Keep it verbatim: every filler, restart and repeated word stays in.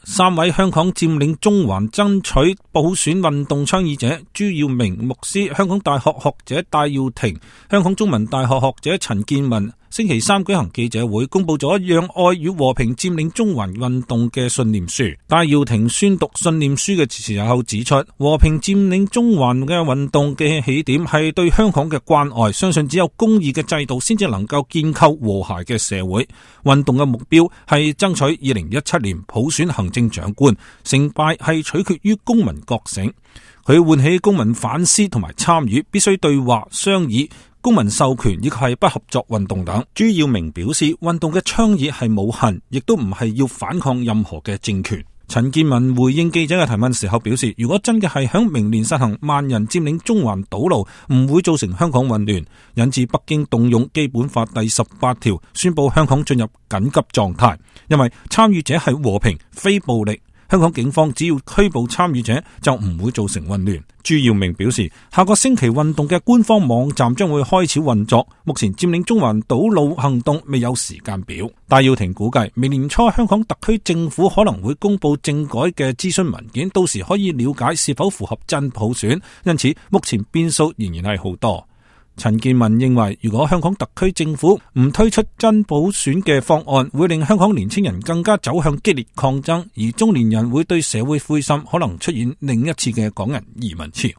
三位香港佔領中環爭取普選運動倡議者朱耀明牧師、香港大學學者戴耀廷、香港中文大學學者陳健民星期三舉行記者會，公布咗讓愛與和平佔領中環運動嘅信念書。戴耀廷宣讀信念書嘅時候指出，和平佔領中環嘅運動嘅起點係對香港嘅關愛，相信只有公義嘅制度先至能夠建構和諧嘅社會。運動嘅目標係爭取二零一七年普選行政長官，成敗係取決於公民覺醒。佢喚起公民反思同埋參與，必須對話商議、公民授權以及係不合作運動等。朱耀明表示，運動嘅倡議係冇恨，亦都唔係要反抗任何嘅政權。陳健民回應記者嘅提問時候表示，如果真嘅係響明年實行萬人佔領中環堵路，唔會造成香港混亂，引致北京動用基本法第十八條宣布香港進入緊急狀態，因為參與者係和平非暴力。香港警方只要拘捕參與者就唔會造成混亂。朱耀明表示，下個星期運動嘅官方網站將會開始運作，目前佔領中環堵路行動未有時間表。戴耀廷估計明年初香港特區政府可能會公布政改嘅諮詢文件，到時可以了解是否符合真普選，因此目前變數仍然係好多。陳健民認為，如果香港特區政府唔推出真普選嘅方案，會令香港年輕人更加走向激烈抗爭，而中年人會對社會灰心，可能出現另一次嘅港人移民潮。